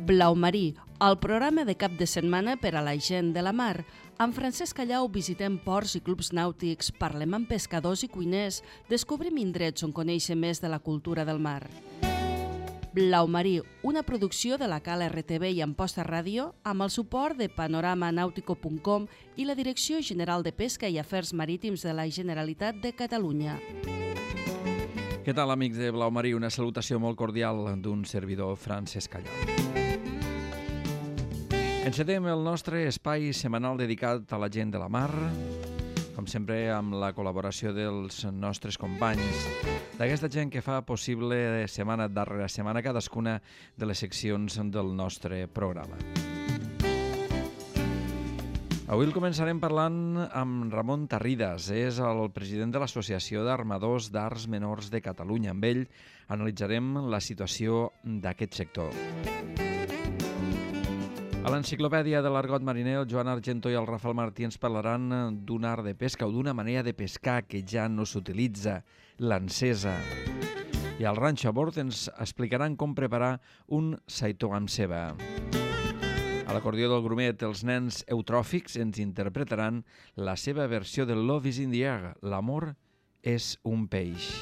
Blau Marí, el programa de cap de setmana per a la gent de la mar. Amb Francesc Callau visitem ports i clubs nàutics, parlem amb pescadors i cuiners, descobrim indrets on conèixer més de la cultura del mar. Blau Marí, una producció de la Cala RTV i Amposta Ràdio, amb el suport de panoramanautico.com i la Direcció General de Pesca i Afers Marítims de la Generalitat de Catalunya. Què tal, amics de Blau Marí? Una salutació molt cordial d'un servidor, Francesc Callau. Encetem el nostre espai setmanal dedicat a la gent de la mar, com sempre amb la col·laboració dels nostres companys, d'aquesta gent que fa possible setmana darrere setmana cadascuna de les seccions del nostre programa. Avui el començarem parlant amb Ramon Tarridas, és el president de l'Associació d'Armadors d'Arts Menors de Catalunya. Amb ell analitzarem la situació d'aquest sector. A l'enciclopèdia de l'Argot Mariner, el Joan Argento i el Rafael Martí ens parlaran d'un art de pesca o d'una manera de pescar que ja no s'utilitza, l'encesa. I al Ranxo a Bord ens explicaran com preparar un saitó amb ceba. A l'acordió del Grumet, els nens eutròfics ens interpretaran la seva versió de Love is in the air, l'amor és un peix.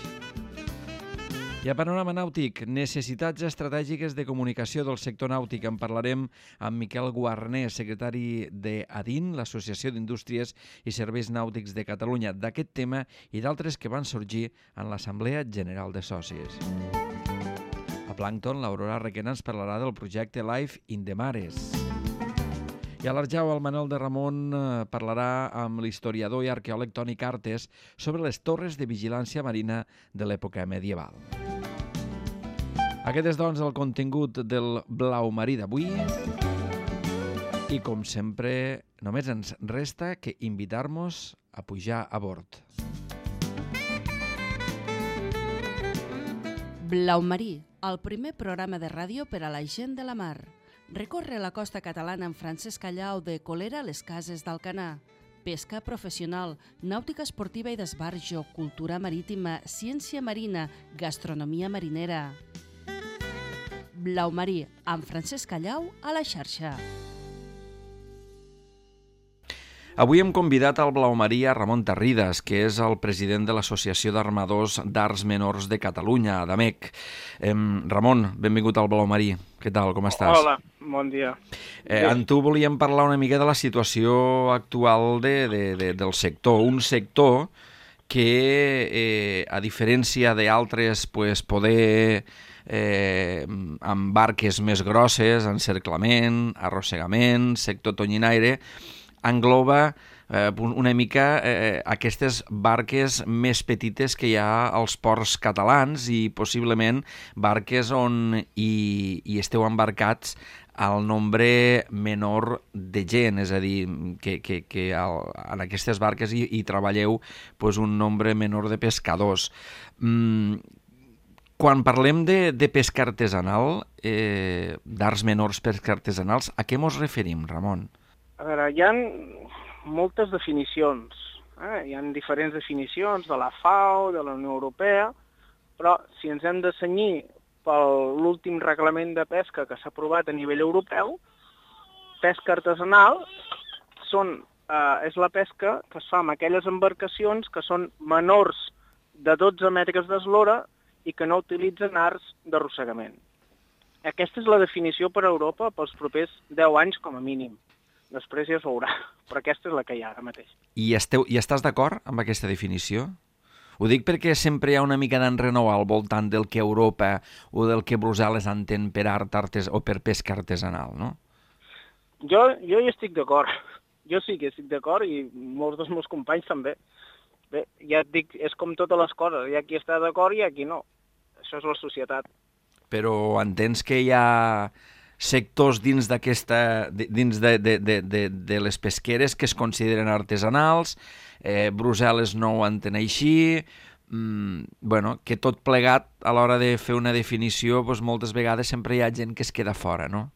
I a Panorama Nàutic, necessitats estratègiques de comunicació del sector nàutic. En parlarem amb Miquel Guarner, secretari d'ADIN, l'Associació d'Indústries i Serveis Nàutics de Catalunya, d'aquest tema i d'altres que van sorgir en l'Assemblea General de Socis. A Plàncton, l'Aurora Requena ens parlarà del projecte Life in the Mares. I a l'Arjau, el Manuel de Ramon parlarà amb l'historiador i arqueòleg Toni Cartes sobre les torres de vigilància marina de l'època medieval. Aquest és, doncs, el contingut del Blau Marí d'avui. I, com sempre, només ens resta que invitar-nos a pujar a bord. Blau Marí, el primer programa de ràdio per a la gent de la mar. Recorre la costa catalana amb Francesc Callau de Colera a les Cases d'Alcanar. Pesca professional, nàutica esportiva i d'esbarjo, cultura marítima, ciència marina, gastronomia marinera. Blau Marí, amb Francesc Callau a la xarxa. Avui hem convidat al Blau Marí a Ramon Tarridas, que és el president de l'Associació d'Armadors d'Arts Menors de Catalunya, ADAMEC. Ramon, benvingut al Blau Marí. Què tal, com estàs? Hola, bon dia. Amb tu volíem parlar una mica de la situació actual del sector. Un sector que, a diferència d'altres, poder amb barques més grosses, encerclament, arrossegament, sector tonyinaire, engloba una mica aquestes barques més petites que hi ha als ports catalans i possiblement barques on hi esteu embarcats al nombre menor de gent, és a dir, que en aquestes barques hi treballeu un nombre menor de pescadors. Quan parlem de pesca artesanal, d'arts menors pesca artesanals, a què mos referim, Ramon? A veure, hi ha moltes definicions. Hi ha diferents definicions de la FAO, de la Unió Europea, però si ens hem de cenyir per l'últim reglament de pesca que s'ha aprovat a nivell europeu, pesca artesanal és la pesca que es fa amb aquelles embarcacions que són menors de 12 metres d'eslora i que no utilitzen arts d'arrossegament. Aquesta és la definició per a Europa pels propers 10 anys com a mínim. Després ja es veurà, però aquesta és la que hi ha ara mateix. I estàs d'acord amb aquesta definició? Ho dic perquè sempre hi ha una mica d'enrenou al voltant del que Europa o del que Brussel·les entén per art o per pesca artesanal, no? Jo hi estic d'acord. Jo sí que estic d'acord i molts dels meus companys també. Bé, ja et dic, és com totes les coses. Hi ha qui està d'acord i hi ha qui no. Això és la societat. Però entens que hi ha sectors dins de les pesqueres que es consideren artesanals, Brussel·les no ho entén així, que tot plegat a l'hora de fer una definició moltes vegades sempre hi ha gent que es queda fora, no?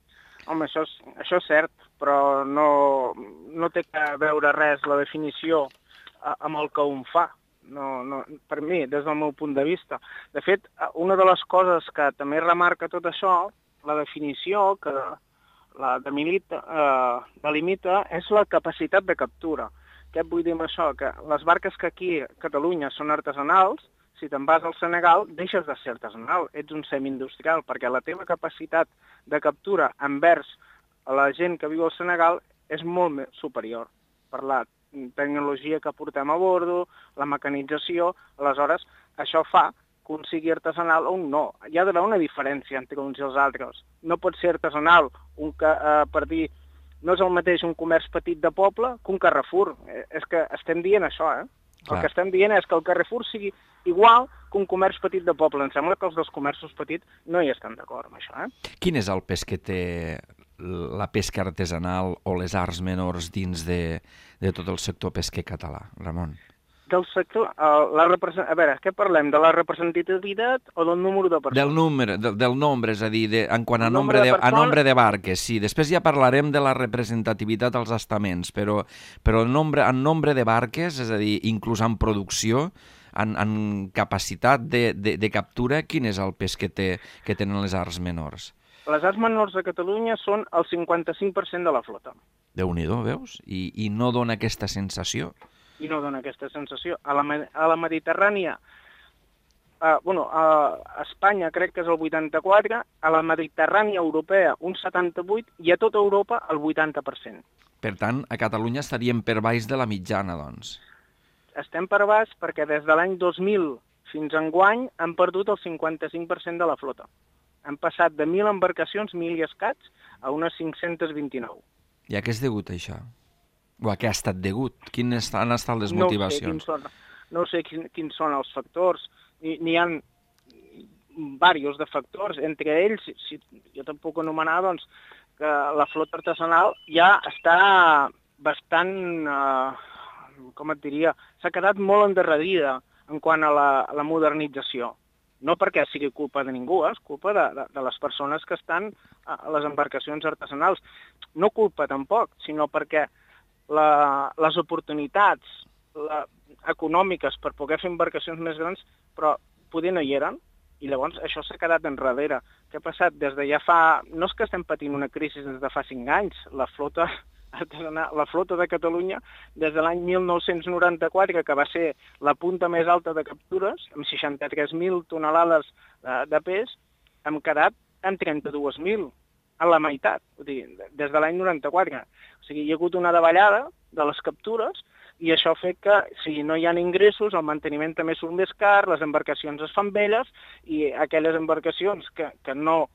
Home, això és cert, però no té a veure res la definició amb el que un fa. No, per mi, des del meu punt de vista. De fet, una de les coses que també remarca tot això la definició que la delimita és la capacitat de captura. Què vull dir amb això? Que les barques que aquí a Catalunya són artesanals, si te'n vas al Senegal, deixes de ser artesanal, ets un semi-industrial, perquè la teva capacitat de captura envers a la gent que viu al Senegal és molt més superior per la tecnologia que portem a bordo, la mecanització. Aleshores, això fa que un sigui artesanal o un no. Hi ha d'haver una diferència entre uns i els altres. No pot ser artesanal per dir, no és el mateix un comerç petit de poble que un Carrefour. És que estem dient això, eh? El que estem dient és que el Carrefour sigui igual que un comerç petit de poble. Em sembla que els dos comerços petits no hi estan d'acord amb això, eh? Quin és el pes que té la pesca artesanal o les arts menors dins de tot el sector pesquer català, Ramon? Del sector, a veure, què parlem? De la representativitat o del número de persones? Del nombre, és a dir, en quant a nombre de barques, sí. Després ja parlarem de la representativitat als estaments, però en nombre de barques, és a dir, inclús en producció, en capacitat de captura, quin és el pes que tenen les arts menors? Les arts menors de Catalunya són el 55% de la flota. Déu-n'hi-do, veus? I no dona aquesta sensació? I no dona aquesta sensació. A la Mediterrània, a Espanya crec que és el 84%, a la Mediterrània europea un 78% i a tota Europa el 80%. Per tant, a Catalunya estaríem per baix de la mitjana, doncs. Estem per baix perquè des de l'any 2000 fins enguany han perdut el 55% de la flota. Han passat de 1.000 embarcacions, 1.000 i escaig, a unes 529. I a què és degut això? O a què ha estat degut? Quines han estat les motivacions? No sé quins són els factors. N'hi ha diversos de factors. Entre ells, si jo te'n puc anomenar, doncs, que la flota artesanal ja està bastant, com et diria, s'ha quedat molt endarrerida en quant a la modernització. No perquè sigui culpa de ningú, és culpa de les persones que estan a les embarcacions artesanals. No culpa tampoc, sinó perquè les oportunitats econòmiques per poder fer embarcacions més grans, però poder no hi eren, i llavors això s'ha quedat enrere. Què ha passat? Des de ja fa... No és que estem patint una crisi des de fa 5 anys, la flota de Catalunya, des de l'any 1994, que va ser la punta més alta de captures, amb 63.000 tonelades de pes, hem quedat en 32.000, a la meitat, des de l'any 94. O sigui, hi ha hagut una davallada de les captures i això fa que, si no hi ha ingressos, el manteniment també surt més car, les embarcacions es fan velles i aquelles embarcacions que no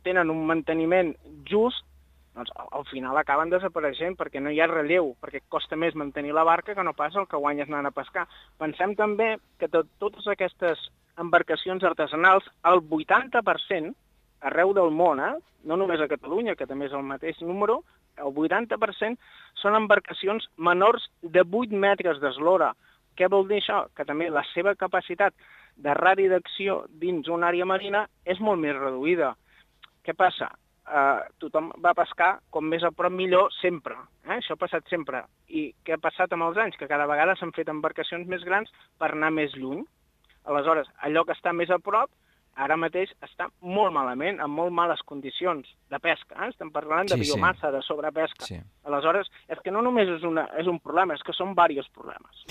tenen un manteniment just, doncs al final acaben desapareixent perquè no hi ha relleu, perquè costa més mantenir la barca que no pas el que guanyes anant a pescar. Pensem també que totes aquestes embarcacions artesanals, el 80%, arreu del món, no només a Catalunya, que també és el mateix número, el 80% són embarcacions menors de 8 metres d'eslora. Què vol dir això? Que també la seva capacitat de radi d'acció dins una àrea marina és molt més reduïda. Què passa? Tothom va pescar com més a prop millor sempre. Això ha passat sempre. I què ha passat amb els anys? Que cada vegada s'han fet embarcacions més grans per anar més lluny. Aleshores, allò que està més a prop, ara mateix està molt malament, amb molt males condicions de pesca. Estem parlant de biomassa, de sobrepesca. Sí. Aleshores, és que no només és un problema, és que són diversos problemes.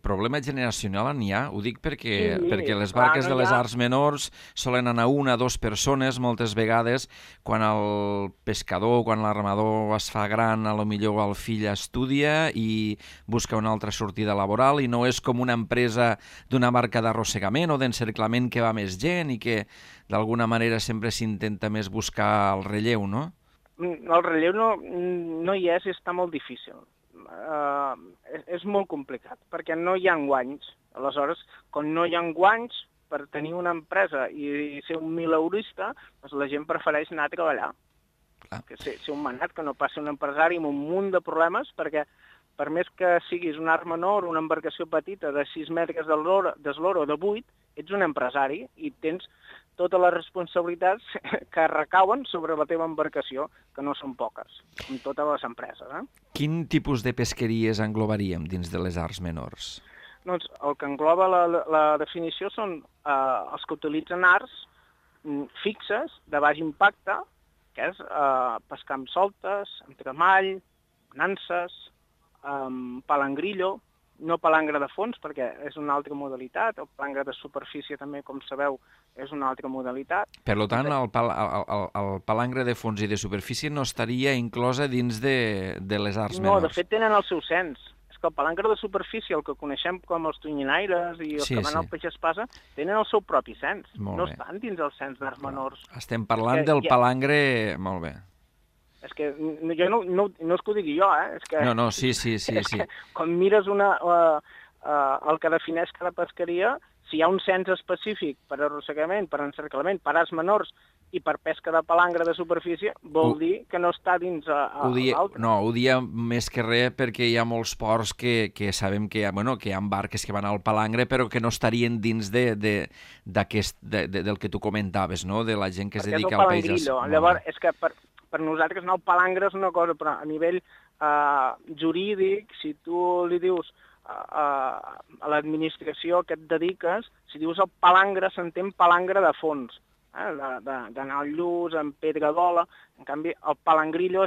Problema generacional n'hi ha, ho dic perquè les barques de les arts menors solen anar 1 o 2 persones moltes vegades. Quan el pescador, quan l'armador es fa gran, potser el fill estudia i busca una altra sortida laboral i no és com una empresa d'una barca d'arrossegament o d'encerclament que va més gent i que d'alguna manera sempre s'intenta més buscar el relleu, no? El relleu no hi és i està molt difícil. És molt complicat, perquè no hi ha guanys. Aleshores, quan no hi ha guanys, per tenir una empresa i ser un mileurista, doncs la gent prefereix anar a treballar. Que ser un manat, que no passi un empresari amb un munt de problemes, perquè per més que siguis un art menor, una embarcació petita de 6 metres d'eslora o de 8, ets un empresari i tens totes les responsabilitats que recauen sobre la teva embarcació, que no són poques, com totes les empreses. Quin tipus de pesqueries englobaríem dins de les arts menors? Doncs el que engloba la definició són els que utilitzen arts fixes de baix impacte, que és pescar amb soltes, amb tremall, nanses, palangrillo, no palangre de fons, perquè és una altra modalitat, el palangre de superfície també, com sabeu, és una altra modalitat. Per tant, el palangre de fons i de superfície no estaria inclosa dins de les arts menors. No, de fet tenen el seu cens. És que el palangre de superfície, el que coneixem com els tonyinaires i els que van al peix espasa, tenen el seu propi cens. No estan dins el cens d'arts menors. Estem parlant del palangre... Molt bé. És que jo no és que ho digui jo, És que, no, sí. Que, quan mires el que defineix cada pesqueria, si hi ha un cens específic per arrossegament, per encerclament, per arts menors i per pesca de palangre de superfície, vol dir que no està dins l'altre. No, ho dia més que res perquè hi ha molts ports que sabem que hi ha barques que van al palangre però que no estarien dins del que tu comentaves, no? De la gent que es dedica al peix. Llavors, és que per nosaltres el palangre és una cosa, però a nivell jurídic, si tu li dius a l'administració que et dediques, si dius el palangre, s'entén palangre de fons, d'anar al lluç, amb pedra d'ola. En canvi, el palangrillo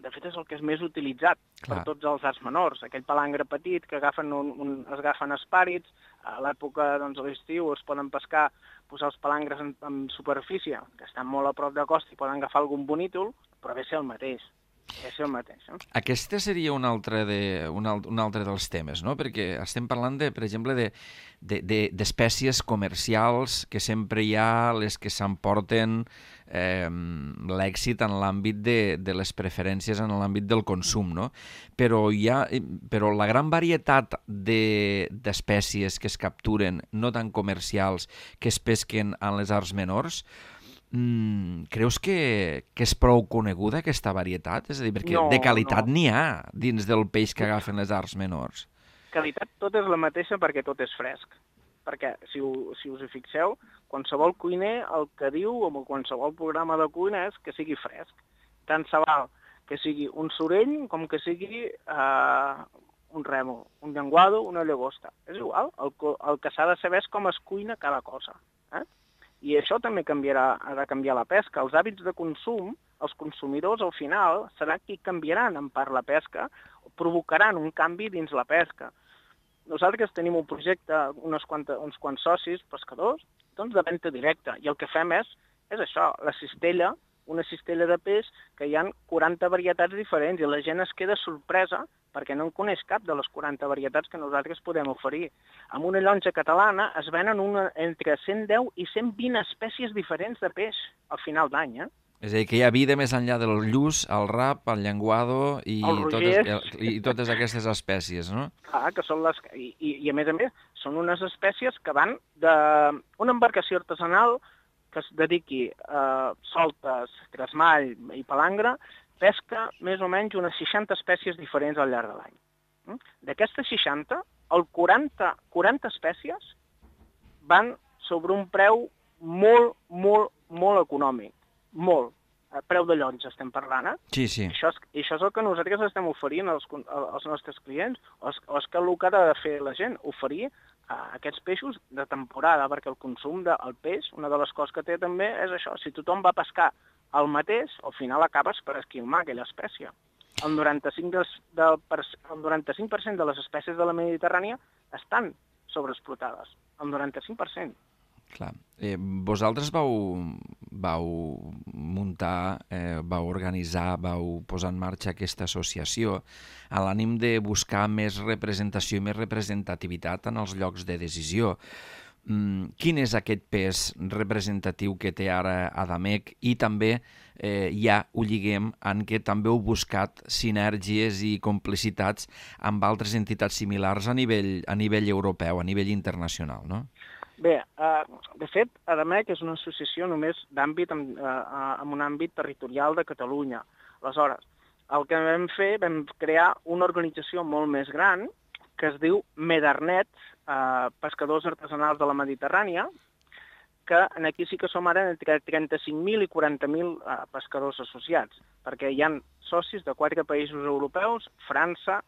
de fet és el que és més utilitzat per tots els arts menors. Aquell palangre petit que es agafen espàrits, a l'època de l'estiu es poden pescar, posar els palangres en superfície, que estan molt a prop de costa i poden agafar algun bonítol, però ve a ser el mateix. Aquesta seria un altre dels temes, no? Perquè estem parlant, per exemple, d'espècies comercials que sempre hi ha, les que s'emporten l'èxit en l'àmbit de les preferències en l'àmbit del consum, no? Però la gran varietat d'espècies que es capturen, no tan comercials, que es pesquen en les arts menors, creus que és prou coneguda aquesta varietat? És a dir, perquè de qualitat n'hi ha dins del peix que agafen les arts menors. Qualitat tot és la mateixa perquè tot és fresc. Perquè, si us hi fixeu, qualsevol cuiner el que diu en qualsevol programa de cuina és que sigui fresc. Tant se val que sigui un sorell com que sigui un rèmol, un llenguado, una llagosta. És igual, el que s'ha de saber és com es cuina cada cosa. I això també ha de canviar la pesca. Els hàbits de consum, els consumidors al final seran qui canviaran en part la pesca o provocaran un canvi dins la pesca. Nosaltres tenim un projecte, uns quants socis pescadors, doncs de venda directa, i el que fem és això, la cistella, una cistella de peix que hi ha 40 varietats diferents i la gent es queda sorpresa perquè no en coneix cap de les 40 varietats que nosaltres podem oferir. Amb una llonja catalana es venen entre 110 i 120 espècies diferents de peix al final d'any. És a dir, que hi ha vida més enllà del lluç, el rap, el llenguado i totes aquestes espècies, no? Clar, que són I a més, són unes espècies que van d'una embarcació artesanal que es dediqui a soltes, tresmall i palangre, pesca més o menys unes 60 espècies diferents al llarg de l'any. D'aquestes 60, el 40 espècies van sobre un preu molt, molt, molt econòmic. Molt. A preu de llonja estem parlant, Sí. Això és el que nosaltres estem oferint als nostres clients, o és que el que ha de fer la gent, oferir aquests peixos de temporada, perquè el consum del peix, una de les coses que té també és això, si tothom va a pescar el mateix, al final acabes per esquilmar aquella espècie. El 95% de les espècies de la Mediterrània estan sobreexplotades. El 95%. Clar. Vosaltres vau muntar, vau organitzar, vau posar en marxa aquesta associació a l'ànim de buscar més representació i més representativitat en els llocs de decisió. Quin és aquest pes representatiu que té ara Adamec i també ja ho lliguem en què també heu buscat sinergies i complicitats amb altres entitats similars a nivell europeu, a nivell internacional, no? Bé, de fet, Adamec és una associació només d'àmbit, en un àmbit territorial de Catalunya. Aleshores, el que vam crear una organització molt més gran que es diu Medarnet, Pescadors Artesanals de la Mediterrània, que aquí sí que som ara entre 35.000 i 40.000 pescadors associats, perquè hi ha socis de 4 països europeus, França,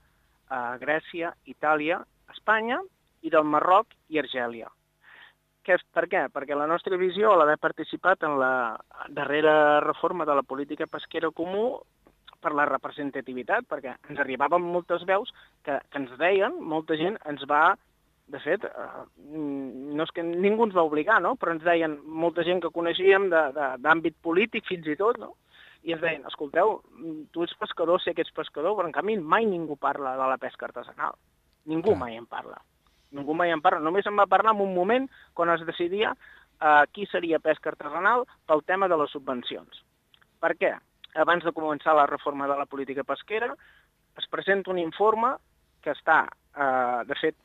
Grècia, Itàlia, Espanya i del Marroc i Argèlia. Per què? Perquè la nostra visió, a l'haver participat en la darrera reforma de la política pesquera comú, per la representativitat, perquè ens arribaven moltes veus que ens deien, molta gent ens va, de fet, no és que ningú ens va obligar, no? Però ens deien molta gent que coneixíem d'àmbit polític fins i tot, no? I ens deien, escolteu, tu ets pescador, sé que ets pescador, però en canvi mai ningú parla de la pesca artesanal. Ningú mai en parla. Ningú mai en parla. Només en va parlar en un moment quan es decidia qui seria pesca artesanal pel tema de les subvencions. Per què? Abans de començar la reforma de la política pesquera, es presenta un informe que està, de fet,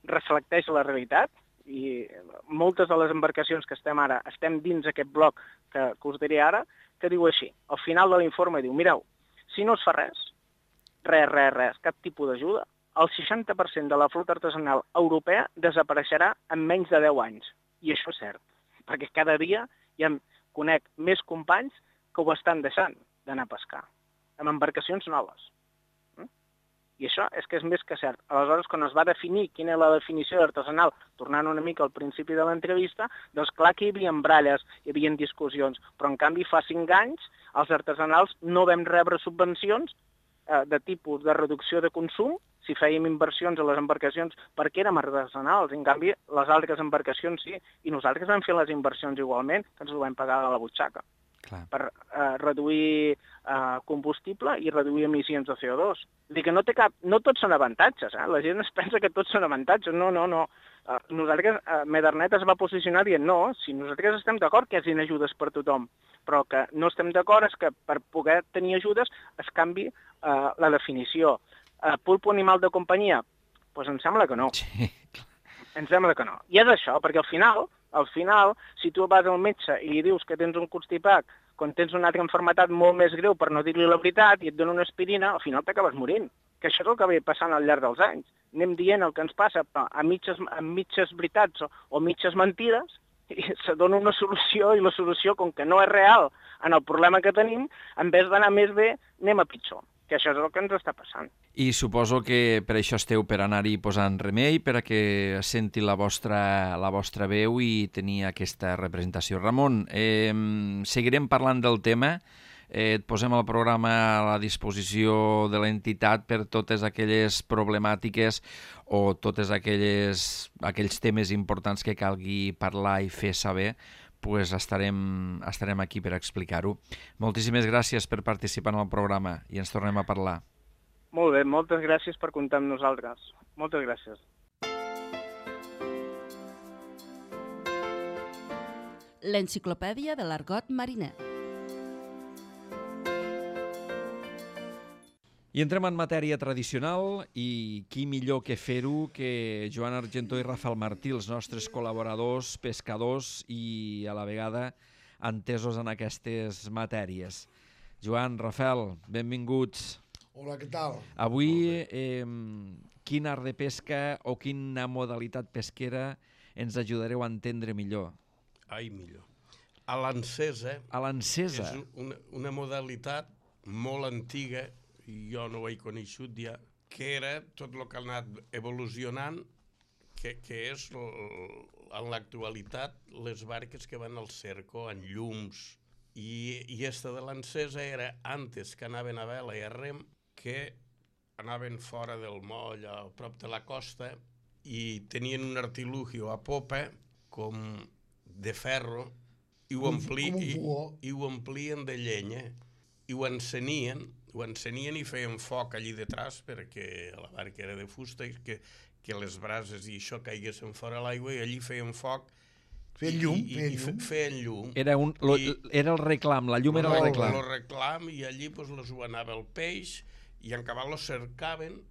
reflecteix la realitat, i moltes de les embarcacions que estem ara, estem dins aquest bloc que us diré ara, que diu així. Al final de l'informe diu, mireu, si no es fa res, cap tipus d'ajuda, el 60% de la flota artesanal europea desapareixerà en menys de 10 anys. I això és cert, perquè cada dia conec més companys que ho estan deixant d'anar a pescar, amb embarcacions noves. I això és que és més que cert. Aleshores, quan es va definir quina és la definició d'artesanal, tornant una mica al principi de l'entrevista, doncs clar que hi havia bralles, hi havia discussions, però en canvi fa 5 anys els artesanals no vam rebre subvencions de tipus de reducció de consum si fèiem inversions a les embarcacions perquè érem artesanals. En canvi, les altres embarcacions sí, i nosaltres vam fer les inversions igualment, que ens ho vam pagar de la butxaca. Clar. Per reduir combustible i reduir emissions de CO2. Vull dir que no tots són avantatges, la gent es pensa que tots són avantatges, no. Nosaltres, Medarnet es va posicionar dient no, si nosaltres estem d'acord que hi hagin ajudes per tothom, però que no estem d'acord és que per poder tenir ajudes es canvi la definició. Pulpo animal de companyia? Doncs em sembla que no. Sí. Em sembla que no. I és això, perquè al final, si tu vas al metge i li dius que tens un constipat, quan tens una altra malaltia molt més greu per no dir-li la veritat i et dona una aspirina, al final t'acabes morint. Que això és el que ve passant al llarg dels anys. Anem dient el que ens passa a mitges veritats o mitges mentides i se dona una solució i la solució, com que no és real en el problema que tenim, en vez d'anar més bé, anem a pitjor. Que això és el que ens està passant. I suposo que per això esteu per anar-hi posant remei, per a que senti la vostra veu i tenir aquesta representació. Ramon, seguirem parlant del tema, et posem el programa a la disposició de l'entitat per totes aquelles problemàtiques o totes aquells temes importants que calgui parlar i fer saber, pues estarem aquí per explicar-ho. Moltíssimes gràcies per participar en el programa i ens tornem a parlar. Molt bé, moltes gràcies per comptar amb nosaltres. Moltes gràcies. L'enciclopèdia de l'argot mariner. I entrem en matèria tradicional i qui millor que fer-ho que Joan Argentó i Rafael Martí, els nostres col·laboradors, pescadors i a la vegada entesos en aquestes matèries. Joan, Rafael, benvinguts. Hola, què tal? Avui, quin art de pesca o quina modalitat pesquera ens ajudareu a entendre millor? Ai, millor. A l'encesa. A l'encesa? És una modalitat molt antiga, jo no ho he coneixut ja, que era tot el que ha anat evolucionant, que és en l'actualitat les barques que van al cerco en llums. I esta de l'encesa era antes que anaven a vela i a rem, que anaven fora del moll, a prop de la costa, i tenien un artilugio a popa com de ferro i ho omplien de llenya i ho encenien i feien foc allí detrás perquè la barca era de fusta i que les brases i això caiguessin fora l'aigua i allí feien foc. Feien llum. Era el reclam, la llum era el reclam. El reclam i allí les ho anava el peix i en cabal lo cercaven.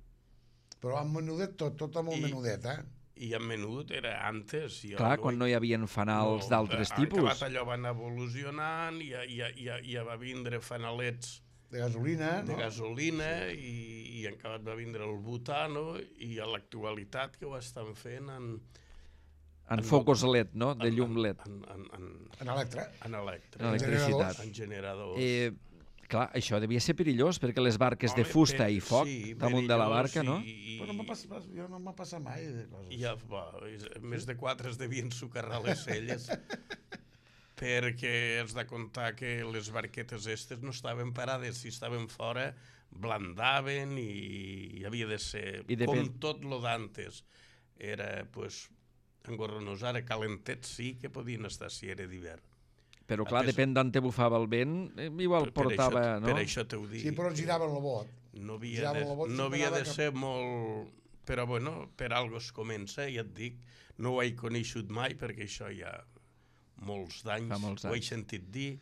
Però amb menudet tot amb el menudet, I amb menut era antes. Clar, quan no hi havia fanals d'altres tipus. En acabat allò van evolucionant i va vindre fanalets de gasolina, i en acabat va vindre el butano i a l'actualitat que ho estan fent en focus LED, no? De llum LED. En electricitat. En generadors. Clar, això devia ser perillós, perquè les barques de fusta i foc damunt de la barca, no? Però jo no m'ha passat mai de coses. Més de 4 es devien socarrar les celles, perquè has de comptar que les barquetes estes no estaven parades, si estaven fora blandaven i havia de ser com tot lo d'antes. Era, pues, engorronos, ara calentets sí que podien estar si era d'hivern. Però clar, depèn d'on te bufava el vent, igual portava, no? Per això t'ho dic. Sí, però giraven el bot. No havia de ser molt... Però bueno, per algo es comença, ja et dic, no ho he coneixut mai perquè això hi ha molts d'anys, ho he sentit dir.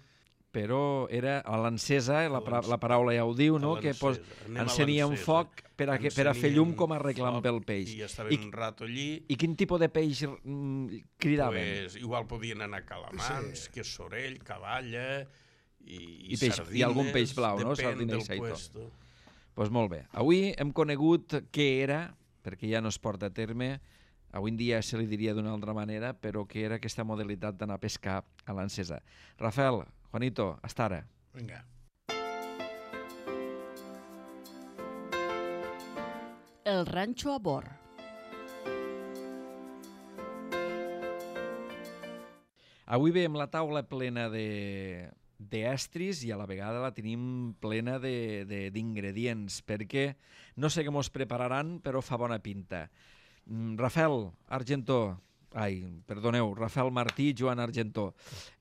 Però era a l'encesa, la paraula ja ho diu, no? Que encenia un foc per a fer llum com arreglant pel peix. I estaven un rato allí. I quin tipus de peix cridaven? Igual podien anar calamars, que sorell, cavalla i sardines. I algun peix blau, no? Sardina i saitó. Doncs molt bé. Avui hem conegut què era, perquè ja no es porta a terme, avui en dia se li diria d'una altra manera, però què era aquesta modalitat d'anar a pescar a l'encesa. Rafael, Juanito, hasta ara. Vinga. El ranxo a bord. Avui veiem la taula plena d'estris i a la vegada la tenim plena d'ingredients, perquè no sé què mos prepararan, però fa bona pinta. Rafael Martí, Joan Argentó.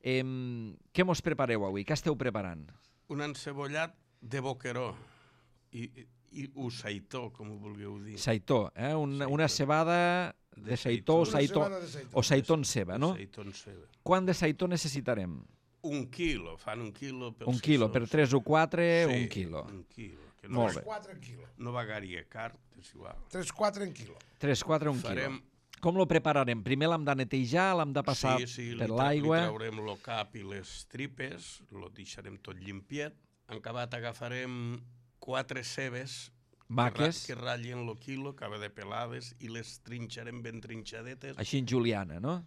Què mos prepareu avui? Què esteu preparant? Un encebollat de boqueró i saitó, com ho vulgueu dir. Saitó, una cebada de saitó o saitó en ceba, no? Saitó en ceba. Quant de saitó necessitarem? 1 quilo, fan 1 quilo. Un quilo, per 3 o 4, 1 quilo. 1 quilo. Molt bé. 3-4 en quilo. No vagaria car, és igual. 3-4 en quilo. 3-4 un quilo. Com lo prepararem? Primer l'hem de netejar, l'hem de passar per l'aigua. Li traurem el cap i les tripes, lo deixarem tot llimpiet. En acabat agafarem 4 cebes maques que ratllin el quilo, acaba de pelades, i les trinxarem ben trinxadetes. Així en juliana, no?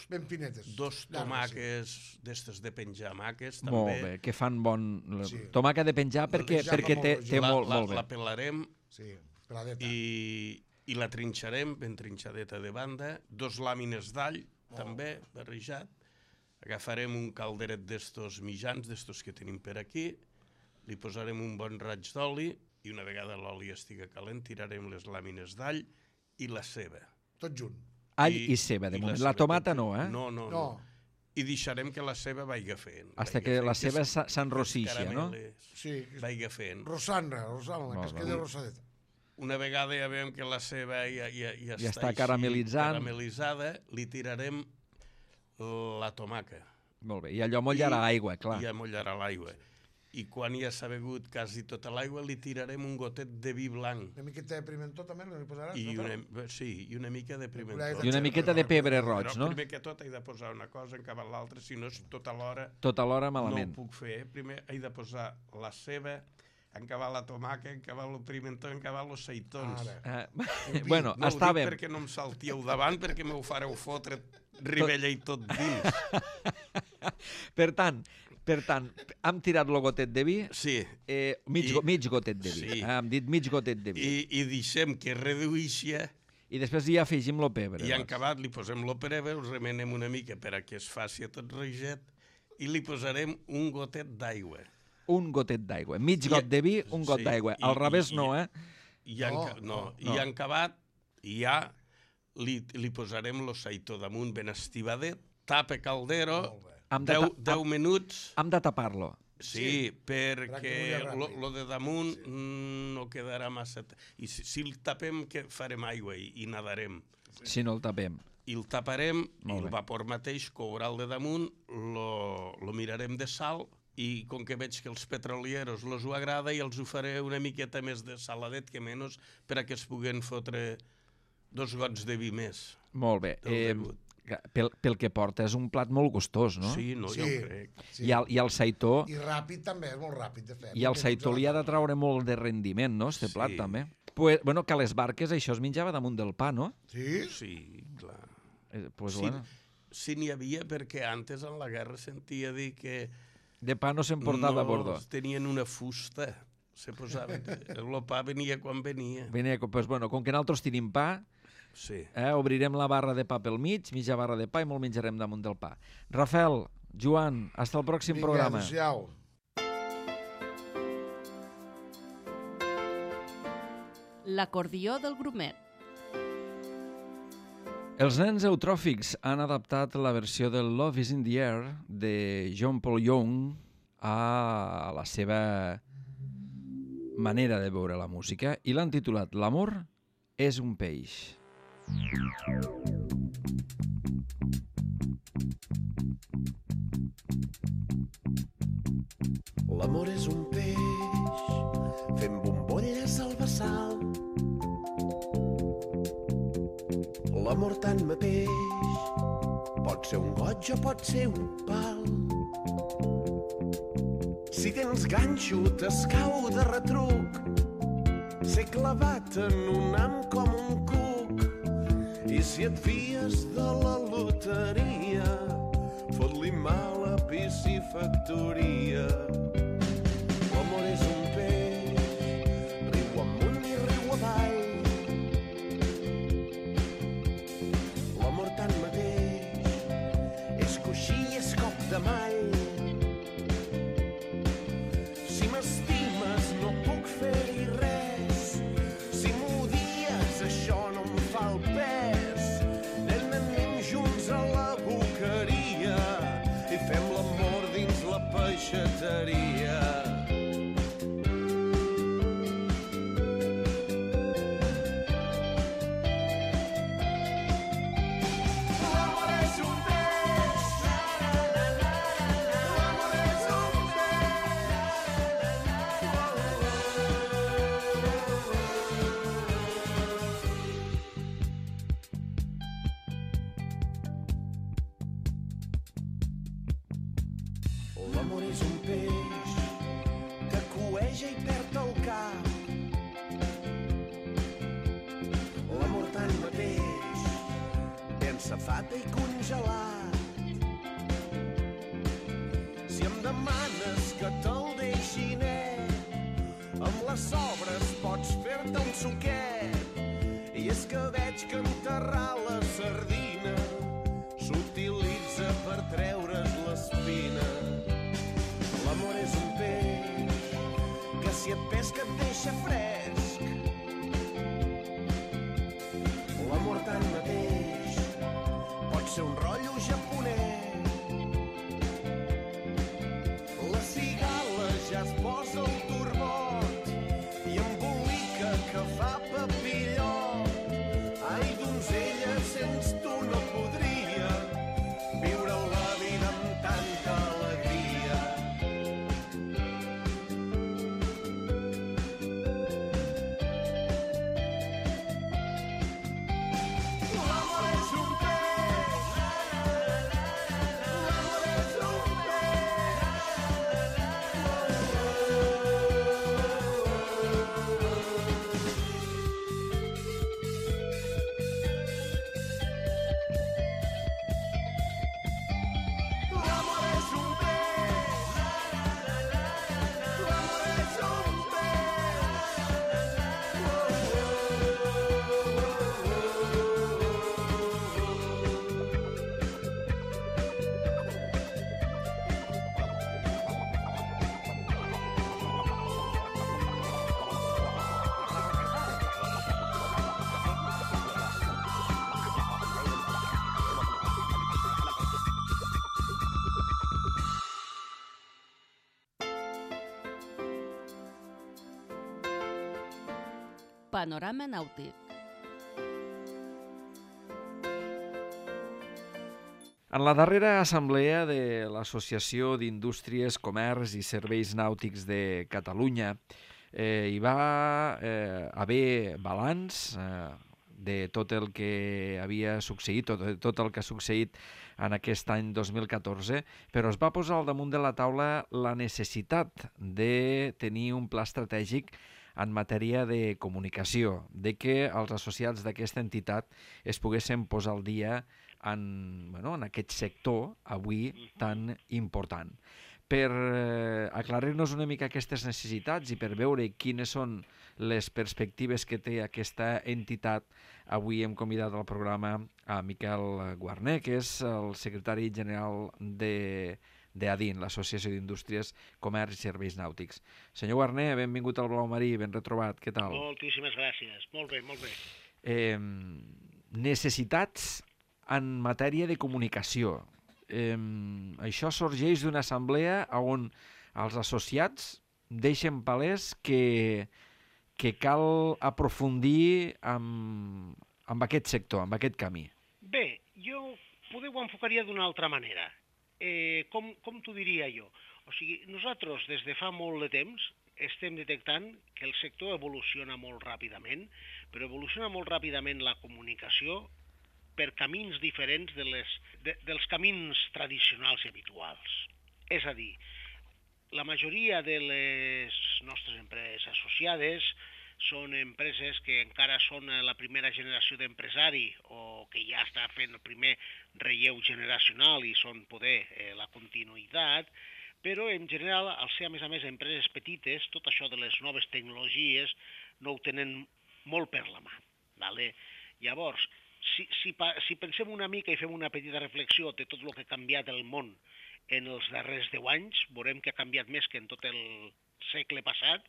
Ben finetes. 2 tomàquets d'estes de penjar maques, també. Molt bé, que fan bon... Tomàquet de penjar perquè té molt bé. La pelarem peladeta. I la trinxarem ben trinxadeta de banda. 2 làmines d'all, també, barrejat. Agafarem un calderet d'estos mitjans, d'estos que tenim per aquí. Li posarem un bon raig d'oli i una vegada l'oli estigui calent tirarem les làmines d'all i la ceba. Tot junt. All i ceba, de moment. La tomata no, eh? No. I deixarem que la ceba vagi fent. Hasta que la ceba s'enrossixa, no? Sí. Vagi fent. Rosana, que es queda rosadeta. Una vegada ja veiem que la ceba ja està caramelitzada, li tirarem la tomaca. Molt bé, i allò mollarà aigua, clar. I ja mollarà l'aigua. I quan ja s'ha begut quasi tota l'aigua, li tirarem un gotet de vi blanc. Una miqueta de pimentó també li posaràs? Sí, i una mica de pimentó. I una miqueta de pebre roig, no? Però primer que tot he de posar una cosa, encabar l'altra, si no és tota l'hora... Tota l'hora malament. No ho puc fer. Primer he de posar la ceba, encabar la tomaca, encabar el pimentó, encabar els seitons. Bueno, no està ho bé. dic perquè no em saltíeu davant, perquè m'ho fareu fotre ribella i tot dins. Per tant, hem tirat el gotet de vi? Sí. Mig gotet de vi. Sí. Hem dit mig gotet de vi. I deixem que reduïxi. I després ja afegim el pebre. I en acabat li posem el pebre, ho remenem una mica per a que es faci tot reget i li posarem un gotet d'aigua. Un gotet d'aigua. Mig got de vi, un got d'aigua. Al revés no, eh? I en acabat ja li posarem el saitó damunt ben estivadet, tapa caldero, 10 minuts... Hem de tapar-lo. Sí, perquè lo de damunt no quedarà massa... I si el tapem, farem aigua i nadarem. Si no el tapem. I el taparem, i el vapor mateix courà el de damunt, lo mirarem de sal, i com que veig que els petrolieros els ho agrada, i els ho faré una miqueta més de saladet que menys, per a que es puguen fotre 2 gots de vi més. Molt bé. Pel que porta és un plat molt gustós, no? Sí, jo crec. I el saitó... I ràpid també, és molt ràpid de fer. I el saitó li ha de traure molt de rendiment, no?, este plat també. Bueno, que a les barques això es menjava damunt del pa, no? Sí? Sí, clar. Pues bueno. Sí n'hi havia perquè antes en la guerra sentia dir que De pa no se'n portava a bordo. No, tenien una fusta. Se posaven. El pa venia quan venia. Pues, bueno, com que nosaltres tenim pa, Sí. obrirem la barra de pa pel mig, mitja barra de pa i molt menjarem damunt del pa. Rafael, Joan, hasta el pròxim programa. Adéu-siau. L'acordió del grumet. Els nens eutròfics han adaptat la versió del Love is in the Air de John Paul Young a la seva manera de veure la música i l'han titulat L'amor és un peix. L'amor és un peix fent bombolles al bassal. L'amor tant mateix pot ser un goig o pot ser un pal. Si tens ganxo t'escau de retruc, ser clavat en un ham com un cuc. I si et fies de la loteria, fot-li mal a piscifactoria. L'amor és un peix, riu amunt i riu avall. L'amor tant mateix és coixí i és cop de mall. Si m'estimes no puc fer-hi res, si m'odies això no em fa el pes. Anem junts a la boqueria i fem l'amor dins la peixateria. L'amor és un peix que cueja i perd el cap. L'amor tant mateix, ben safata i congelat. Si em demanes que te'l deixi net, amb les sobres pots fer-te un suquet. I és que veig que enterrar la sardina s'utilitza per treure's l'espina. L'amor és un peix que si et pesca et deixa fresc. L'amor tant mateix pot ser un rotllo japonès. La cigala ja es posa el turbot i embolica que fa papillot. Ai, donzella, sens tu no podria viure la vida amb tanta alegria. L'amor és un peix, l'amor és un L'amor és un peix, l'amor és un Panorama nàutic. En la darrera assemblea de l'Associació d'Indústries, Comerç i Serveis Nàutics de Catalunya hi va haver balanç de tot el que havia succeït, tot el que ha succeït en aquest any 2014, però es va posar al damunt de la taula la necessitat de tenir un pla estratègic en matèria de comunicació, de que els associats d'aquesta entitat es poguessin posar al dia en aquest sector avui tan important. per aclarir-nos una mica aquestes necessitats i per veure quines són les perspectives que té aquesta entitat, avui hem convidat al programa a Miquel Guarner, que és el secretari general d'ADIN, l'Associació d'Indústries, Comerç i Serveis Nàutics. Senyor Guarner, benvingut al Blau Marí, ben retrobat, què tal? Moltíssimes gràcies, molt bé, molt bé. Necessitats en matèria de comunicació. Això sorgeix d'una assemblea on els associats deixen palès que cal aprofundir amb aquest sector, amb aquest camí. Bé, jo poder ho enfocaria d'una altra manera. Com t'ho diria jo? O sigui, nosaltres des de fa molt de temps estem detectant que el sector evoluciona molt ràpidament, però evoluciona molt ràpidament la comunicació per camins diferents dels camins tradicionals i habituals. És a dir, la majoria de les nostres empreses associades són empreses que encara són la primera generació d'empresari o que ja està fent el primer relleu generacional i són poder la continuïtat, però en general, al ser a més empreses petites, tot això de les noves tecnologies no ho tenen molt per la mà. Vale? Llavors, si pensem una mica i fem una petita reflexió de tot el que ha canviat el món en els darrers 10 anys, veurem que ha canviat més que en tot el segle passat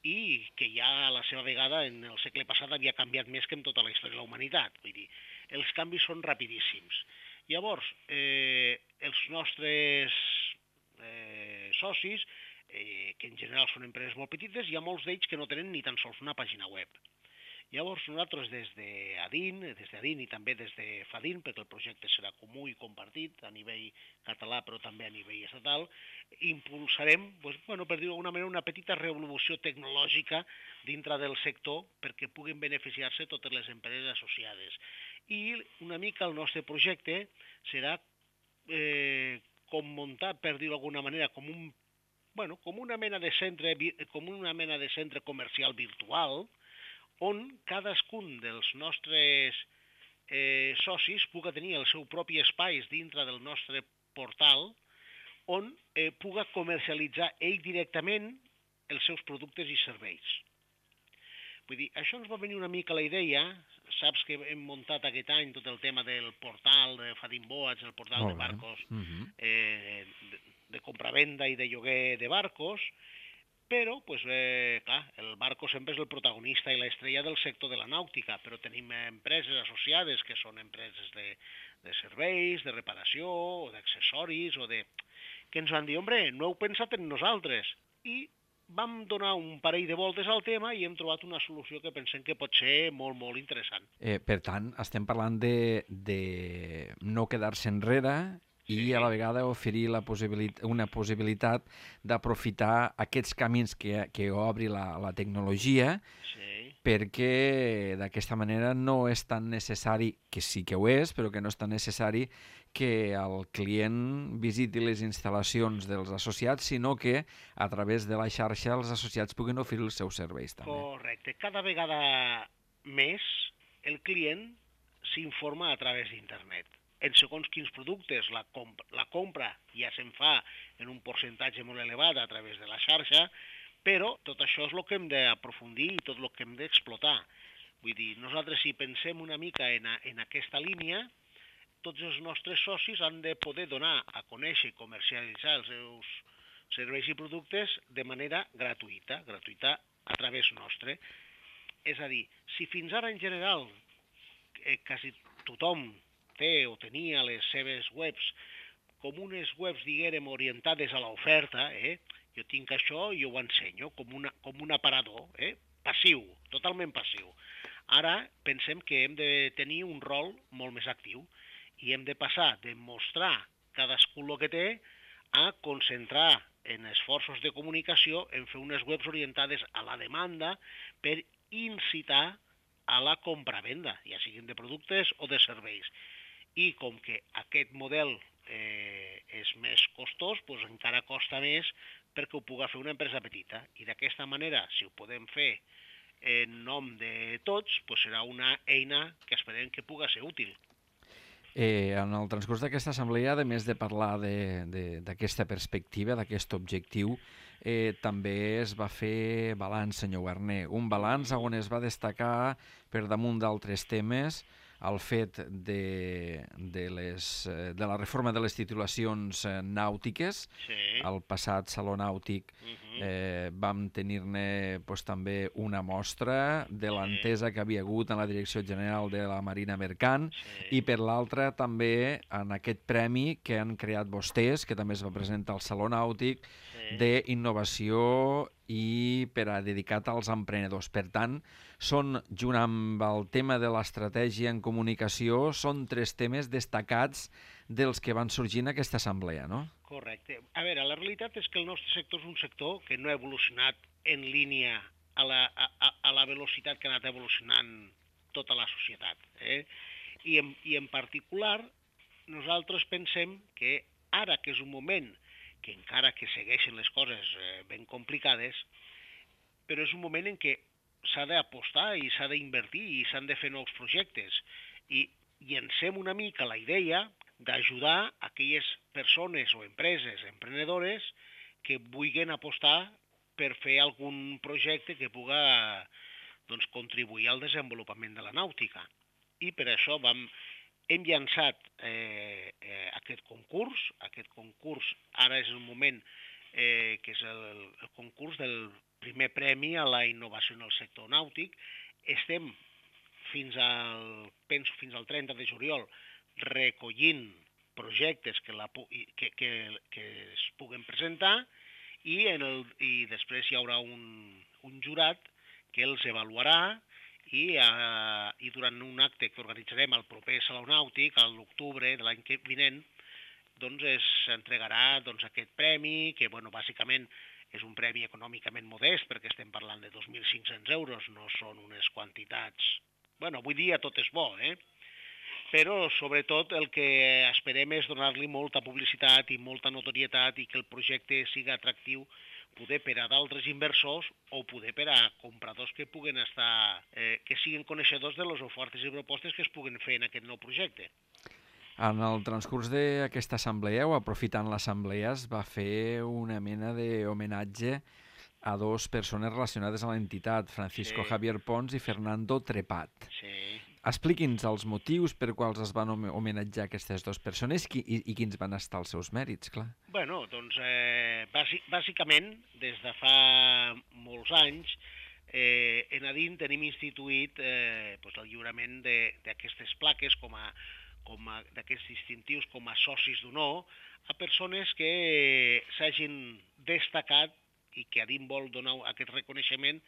i que ja a la seva vegada en el segle passat havia canviat més que en tota la història de la humanitat. Vull dir, els canvis són rapidíssims. Llavors, els nostres socis, que en general són empreses molt petites, hi ha molts d'ells que no tenen ni tan sols una pàgina web. Llavors nosaltres des d'ADIN i també des de FADIN, perquè el projecte serà comú i compartit a nivell català però també a nivell estatal, impulsarem, per dir-ho d'alguna manera, una petita revolució tecnològica dintre del sector perquè puguin beneficiar-se totes les empreses associades. I una mica el nostre projecte serà com muntar, per dir-ho d'alguna manera, com una mena de centre comercial virtual on cadascun dels nostres socis pugui tenir el seu propi espai dintre del nostre portal on pugui comercialitzar ell directament els seus productes i serveis. Vull dir, això ens va venir una mica la idea, saps que hem muntat aquest any tot el tema del portal de Fadin Boats, el portal de barcos, de compravenda i de lloguer de barcos, però, clar, el barco sempre és el protagonista i l'estrella del sector de la nàutica, però tenim empreses associades que són empreses de serveis, de reparació, o d'accessoris, que ens van dir, hombre, no heu pensat en nosaltres. I vam donar un parell de voltes al tema i hem trobat una solució que pensem que pot ser molt, molt interessant. Per tant, estem parlant de no quedar-se enrere i a la vegada oferir una possibilitat d'aprofitar aquests camins que obri la tecnologia, perquè d'aquesta manera no és tan necessari, que sí que ho és, però que no és tan necessari que el client visiti les instal·lacions dels associats, sinó que a través de la xarxa els associats puguin oferir els seus serveis també. Correcte. Cada vegada més el client s'informa a través d'internet. En segons quins productes la compra ja se'n fa en un percentatge molt elevat a través de la xarxa, però tot això és el que hem d'aprofundir i tot el que hem d'explotar. Vull dir, nosaltres si pensem una mica en aquesta línia, tots els nostres socis han de poder donar a conèixer i comercialitzar els seus serveis i productes de manera gratuïta a través nostre. És a dir, si fins ara en general quasi tothom té o tenia les seves webs com unes webs, diguérem, orientades a l'oferta, jo tinc això i ho ensenyo com un aparador, passiu, totalment passiu. Ara pensem que hem de tenir un rol molt més actiu i hem de passar de mostrar cadascú el que té a concentrar en esforços de comunicació en fer unes webs orientades a la demanda per incitar a la compra-venda, ja siguin de productes o de serveis. I com que aquest model és més costós, doncs encara costa més perquè ho pugui fer una empresa petita. I d'aquesta manera, si ho podem fer en nom de tots, doncs serà una eina que esperem que pugui ser útil. En el transcurs d'aquesta assemblea, a més de parlar d'aquesta perspectiva, d'aquest objectiu, també es va fer balanç, senyor Guarner. Un balanç on es va destacar, per damunt d'altres temes, el fet de la reforma de les titulacions nàutiques. Sí. Al passat Saló Nàutic vam tenir-ne també una mostra de l'entesa que havia hagut en la Direcció General de la Marina Mercant i per l'altra també en aquest premi que han creat vostès, que també es va presentar al Saló Nàutic, d'innovació i dedicat als emprenedors. Per tant, són, junt amb el tema de l'estratègia en comunicació, són 3 temes destacats dels que van sorgir en aquesta assemblea, no? Correcte. A veure, la realitat és que el nostre sector és un sector que no ha evolucionat en línia a la velocitat que ha anat evolucionant tota la societat. I en particular, nosaltres pensem que ara que és un moment que encara que segueixen les coses ben complicades, però és un moment en què s'ha d'apostar i s'ha d'invertir i s'han de fer nous projectes. I llancem una mica la idea d'ajudar aquelles persones o empreses emprenedores que vulguin apostar per fer algun projecte que puga contribuir al desenvolupament de la nàutica. I per això hem llançat aquest concurs. Aquest concurs ara és el moment que és el concurs del primer premi a la innovació en el sector nàutic. Estem fins al 30 de juliol recollint projectes que es puguen presentar i després hi haurà un jurat que els avaluarà i durant un acte que organitzarem al proper Saló Nàutic, a l'octubre de l'any vinent, s'entregarà aquest premi, que bàsicament és un premi econòmicament modest, perquè estem parlant de 2.500 euros, no són unes quantitats... Avui dia tot és bo, però sobretot el que esperem és donar-li molta publicitat i molta notorietat i que el projecte sigui atractiu poder per a d'altres inversors o poder per a compradors que puguen estar, que siguin coneixedors de les ofertes i propostes que es puguen fer en aquest nou projecte. En el transcurs d'aquesta assemblea, o aprofitant l'assemblea, es va fer una mena d'homenatge a 2 persones relacionades a l'entitat, Francisco Javier Pons i Fernando Trepat. Sí. Expliqui'ns els motius per quals es van homenatjar aquestes 2 persones i quins van estar els seus mèrits, clar. Bàsicament, des de fa molts anys, en Adin tenim instituït el lliurament d'aquestes plaques, d'aquests distintius com a socis d'honor, a persones que s'hagin destacat i que Adin vol donar aquest reconeixement,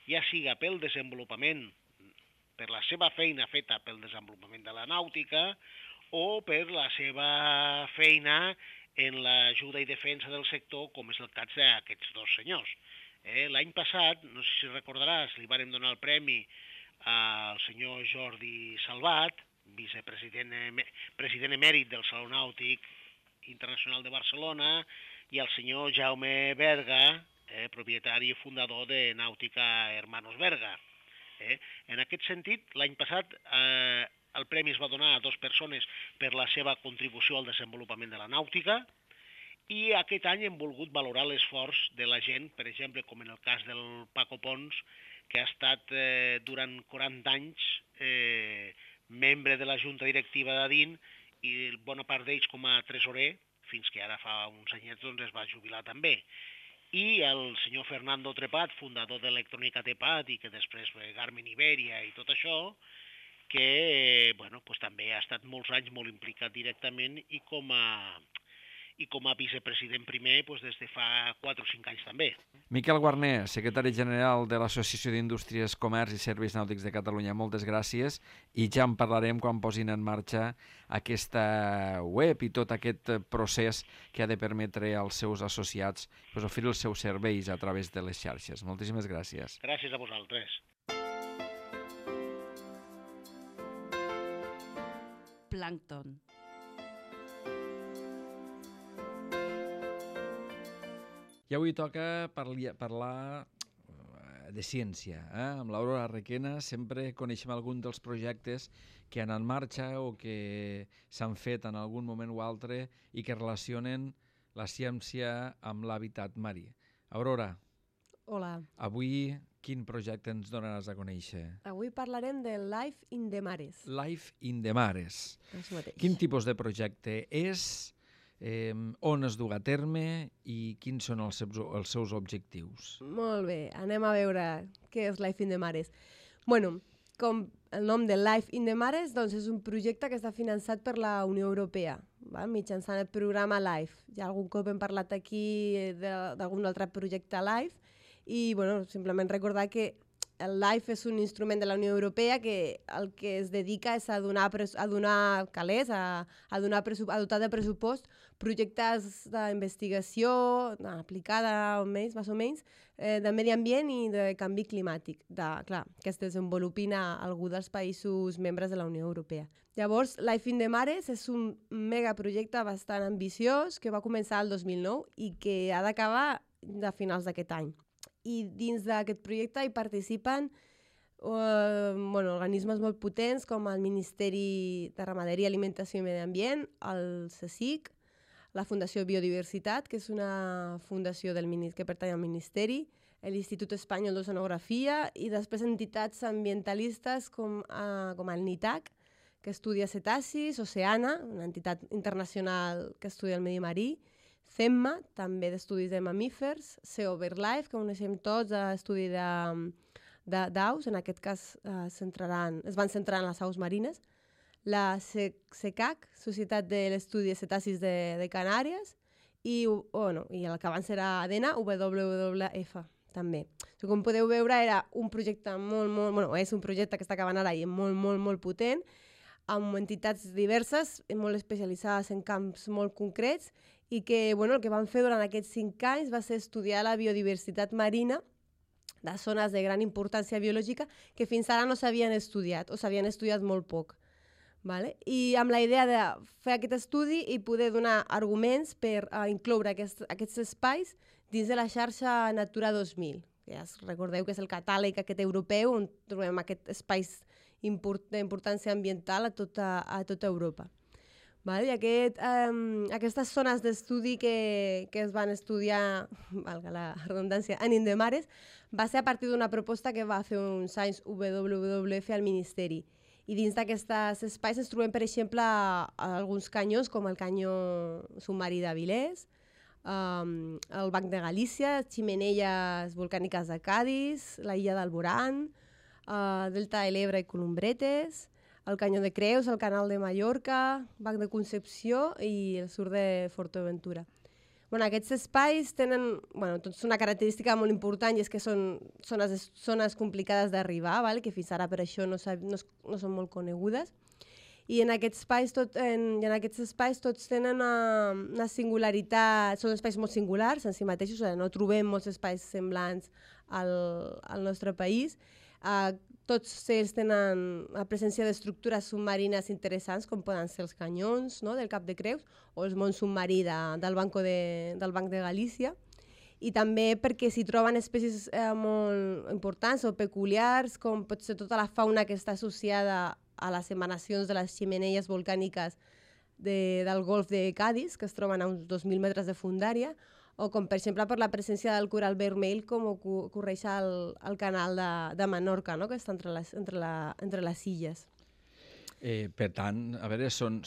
ja siga pel desenvolupament, per la seva feina feta pel desenvolupament de la nàutica o per la seva feina en l'ajuda i defensa del sector, com és el cas d'aquests 2 senyors. L'any passat, no sé si recordaràs, li vàrem donar el premi al senyor Jordi Salvat, president emèrit del Saló Nàutic Internacional de Barcelona, i al senyor Jaume Berga, propietari i fundador de Nàutica Hermanos Berga. En aquest sentit, l'any passat el premi es va donar a 2 persones per la seva contribució al desenvolupament de la nàutica i aquest any hem volgut valorar l'esforç de la gent, per exemple, com en el cas del Paco Pons, que ha estat durant 40 anys membre de la junta directiva d'Adin i bona part d'ells com a tresorer, fins que ara fa uns anyets es va jubilar també. I el senyor Fernando Trepat, fundador d'Electrònica Tepat i que després Garmin Iberia i tot això, que també ha estat molts anys molt implicat directament i com a vicepresident primer des de fa 4 o 5 anys també. Miquel Guarner, secretari general de l'Associació d'Indústries, Comerç i Serveis Nàutics de Catalunya, moltes gràcies i ja en parlarem quan posin en marxa aquesta web i tot aquest procés que ha de permetre als seus associats oferir els seus serveis a través de les xarxes. Moltíssimes gràcies. Gràcies a vosaltres. Plàncton. I avui toca parlar de ciència. Amb l'Aurora Requena sempre coneixem algun dels projectes que han en marxa o que s'han fet en algun moment o altre i que relacionen la ciència amb l'hàbitat marí. Aurora, Hola. avui quin projecte ens donaràs a conèixer? Avui parlarem de Life in the Mares. Life in the Mares. Això mateix. Quin tipus de projecte és, on es du a terme i quins són els seus objectius? Molt bé, anem a veure què és Life in the Mares. Bueno, com el nom de Life in the Mares, doncs és un projecte que està finançat per la Unió Europea, mitjançant el programa LIFE. Ja algun cop hem parlat aquí d'algun altre projecte LIFE i bueno, simplement recordar que el LIFE és un instrument de la Unió Europea que el que es dedica és a dotar de pressupost projectes d'investigació aplicada més o menys de medi ambient i de canvi climàtic, clar, que es desenvolupin a algú dels països membres de la Unió Europea. Llavors, Life in the Mares és un megaprojecte bastant ambiciós que va començar el 2009 i que ha d'acabar a finals d'aquest any. I dins d'aquest projecte hi participen organismes molt potents com el Ministeri de Ramaderia, Alimentació i Medi Ambient, el CSIC, la Fundació Biodiversitat, que és una fundació que pertany al Ministeri, l'Institut Espanyol d'Oceanografia i després entitats ambientalistes com el NITAC, que estudia cetacis, Oceana, una entitat internacional que estudia el medi marí, CEMMA, també d'estudis de mamífers, CO BirdLife, que coneixem tots, estudi d'aus, en aquest cas es van centrar en les aus marines, la SECAC, Societat de l'Estudi de Cetacis de Canàries, i el que abans era ADENA, WWF, també. Com podeu veure, era un projecte és un projecte que està acabant ara i molt potent, amb entitats diverses, molt especialitzades en camps molt concrets, i que el que van fer durant aquests 5 anys va ser estudiar la biodiversitat marina de zones de gran importància biològica que fins ara no s'havien estudiat o s'havien estudiat molt poc. I amb la idea de fer aquest estudi i poder donar arguments per incloure aquests espais dins de la xarxa Natura 2000, que ja recordeu que és el catàleg aquest europeu on trobem aquests espais d'importància ambiental a tota Europa. I aquestes zones d'estudi que es van estudiar, valga la redundància, en In the Mares, va ser a partir d'una proposta que va fer uns anys WWF al Ministeri. I dins d'aquests espais ens trobem, per exemple, alguns canyons, com el canyó submarí d'Avilés, el Banc de Galícia, ximeneies volcàniques de Cadis, la illa d'Alborán, Delta de l'Ebre i Columbretes, el Canyó de Creus, el Canal de Mallorca, Banc de Concepció i el sud de Fortaventura. Aquests espais tenen tots una característica molt important i és que són zones complicades d'arribar, que fins ara per això no són molt conegudes. I en aquests espais tots tenen una singularitat, són espais molt singulars en si mateixos, no trobem molts espais semblants al nostre país. Tots ells tenen la presència d'estructures submarines interessants, com poden ser els canyons del Cap de Creus o el món submarí del Banc de Galícia. I també perquè s'hi troben espècies molt importants o peculiars, com pot ser tota la fauna que està associada a les emanacions de les ximeneies volcàniques del golf de Cadis, que es troben a uns 2.000 metres de fondària, o com per exemple per la presència del coral vermell com ocorreix al canal de Menorca, que està entre les illes. Per tant, a veure, són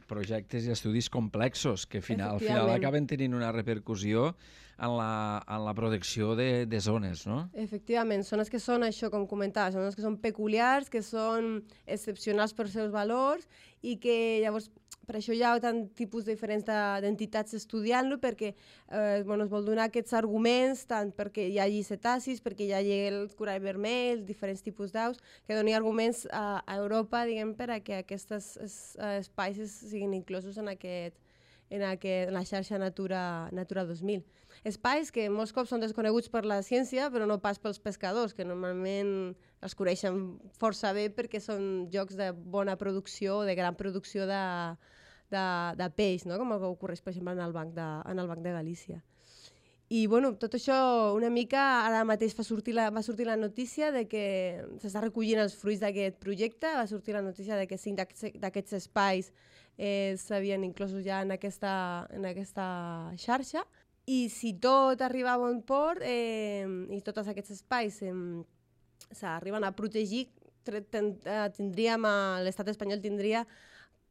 projectes i estudis complexos que al final acaben tenint una repercussió en la protecció de zones, no? Efectivament, zones que són això, com comentava, zones que són peculiars, que són excepcionals per seus valors i que llavors per això hi ha tant tipus diferents d'entitats estudiant-lo, perquè es vol donar aquests arguments, tant perquè hi hagi cetacis, perquè hi hagi el corall vermell, diferents tipus d'aus, que doni arguments a Europa, diguem, per a que aquests espais siguin inclosos en la xarxa Natura 2000. Espais que molts cops són desconeguts per la ciència, però no pas pels pescadors, que normalment els coneixen força bé perquè són llocs de bona producció, de gran producció de peix, com el que ocorreix, per exemple, en el Banc de Galícia. I bueno, tot això una mica ara mateix va sortir la notícia de que s'està recollint els fruits d'aquest projecte, va sortir la notícia de que 5 d'aquests espais s'havien inclosos ja en aquesta xarxa, i si tot arriba a bon port i tots aquests espais s'arriben a protegir, l'estat espanyol tindria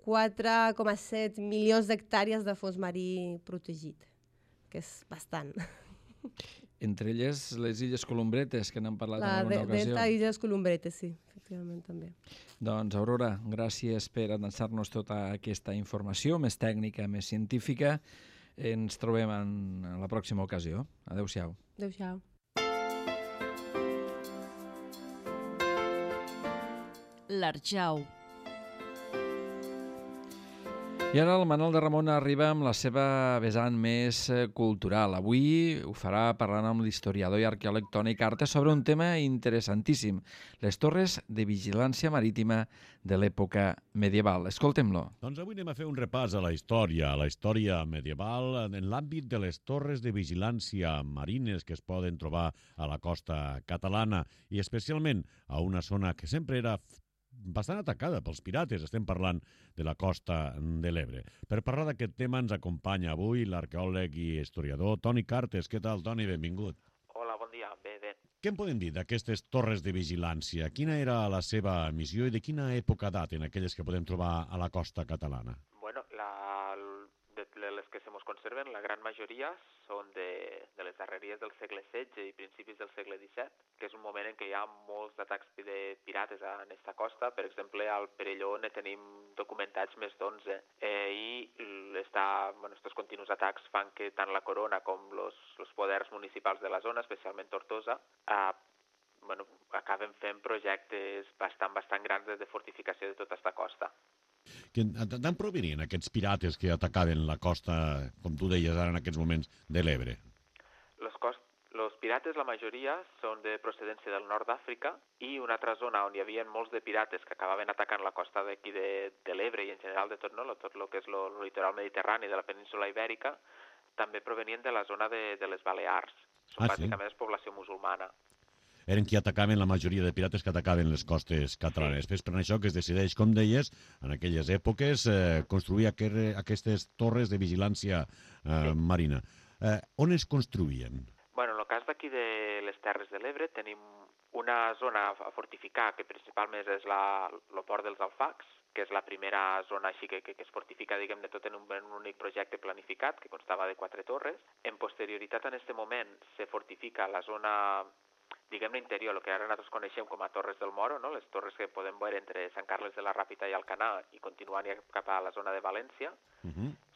4,7 milions d'hectàrees de fons marí protegit, que és bastant. Entre elles les Illes Columbretes, que n'hem parlat en alguna ocasió. Delta Illes Columbretes, sí, efectivament també. Doncs, Aurora, gràcies per avançar-nos tota aquesta informació, més tècnica, més científica. Ens trobem en la pròxima ocasió. Adéu-siau. Adéu-siau. L'Arjau. I ara el Manol de Ramon arriba amb la seva vessant més cultural. Avui ho farà parlant amb l'historiador i arqueòleg Toni Cartes sobre un tema interessantíssim, les torres de vigilància marítima de l'època medieval. Escoltem-lo. Doncs avui anem a fer un repàs a la història medieval en l'àmbit de les torres de vigilància marines que es poden trobar a la costa catalana i especialment a una zona que sempre era bastant atacada pels pirates. Estem parlant de la costa de l'Ebre. Per parlar d'aquest tema ens acompanya avui l'arqueòleg i historiador Toni Cartes. Què tal, Toni? Benvingut. Hola, bon dia. Bé. Què en podem dir d'aquestes torres de vigilància? Quina era la seva missió i de quina època daten aquelles que podem trobar a la costa catalana? Bueno, de les que se mos conserven, la gran majoria són de les darreries del segle XVI i principis del segle XVII, que és un moment en què hi ha molts atacs de pirates en aquesta costa. Per exemple, al Perelló ne tenim documentats més d'11. Estos continus atacs fan que tant la corona com els poders municipals de la zona, especialment Tortosa, acaben fent projectes bastant grans de fortificació de tota aquesta costa. D'on provenien aquests pirates que atacaven la costa, com tu deies ara en aquests moments, de l'Ebre? Els pirates, la majoria, són de procedència del nord d'Àfrica, i una altra zona on hi havia molts de pirates que acabaven atacant la costa d'aquí de l'Ebre i en general de tot el que és el litoral mediterrani de la península Ibèrica, també provenien de la zona de les Balears. Són bàsicament població musulmana. Eren qui atacaven la majoria de pirates que atacaven les costes catalanes. És per això que es decideix, com deies, en aquelles èpoques, construir aquestes torres de vigilància marina. On es construïen? Bueno, en el cas d'aquí de les Terres de l'Ebre tenim una zona a fortificar que principalment és el port dels Alfacs, que és la primera zona així que es fortifica, diguem, de tot en un únic projecte planificat, que constava de 4 torres. En posterioritat, en aquest moment, se fortifica la zona, diguem-ne, interior, el que ara nosaltres coneixem com a Torres del Moro, no? Les torres que podem veure entre Sant Carles de la Ràpita i Alcanar i continuant cap a la zona de València.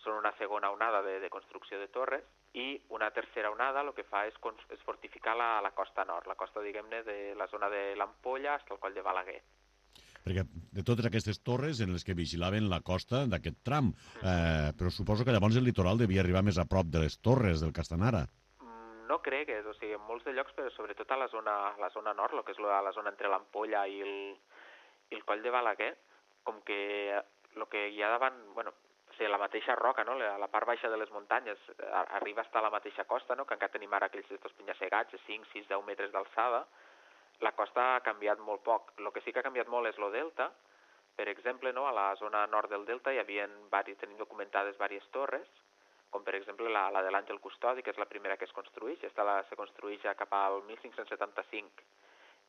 Són una segona onada de construcció de torres, i una tercera onada el que fa és fortificar la costa nord, la costa, diguem-ne, de la zona de l'Ampolla fins al coll de Balaguer. Perquè de totes aquestes torres en les que vigilaven la costa d'aquest tram, però suposo que llavors el litoral devia arribar més a prop de les torres del Castanara. No cregues, o sigui, en molts de llocs, però sobretot a la zona nord, el que és la zona entre l'Ampolla i el coll de Balaguer, com que el que hi ha davant, bueno, o sigui, la mateixa roca, no? La part baixa de les muntanyes arriba fins a la mateixa costa, no? Que encara tenim ara aquells penya-segats de 5, 6, 10 metres d'alçada. La costa ha canviat molt poc. El que sí que ha canviat molt és el delta. Per exemple, no? A la zona nord del delta tenim documentades diverses torres, com per exemple la de l'Àngel Custodi, que és la primera que es construeix. Aquesta se construeix ja cap al 1575